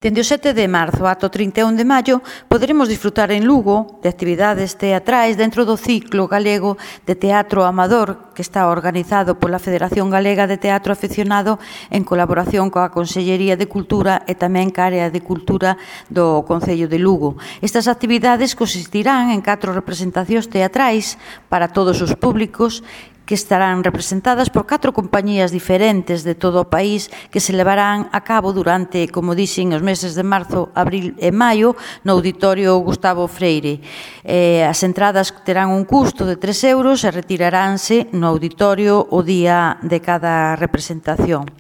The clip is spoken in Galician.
Dende o 7 de marzo ata o 31 de maio poderemos disfrutar en Lugo de actividades teatrais dentro do ciclo galego de teatro amador que está organizado pola Federación Galega de Teatro Afeccionado en colaboración coa Consellería de Cultura e tamén ca Área de Cultura do Concello de Lugo. Estas actividades consistirán en 4 representacións teatrais para todos os públicos que estarán representadas por 4 compañías diferentes de todo o país que se levarán a cabo durante, como dixen, os meses de marzo, abril e maio no Auditorio Gustavo Freire. As entradas terán un custo de 3 euros e retiraránse no auditorio o día de cada representación.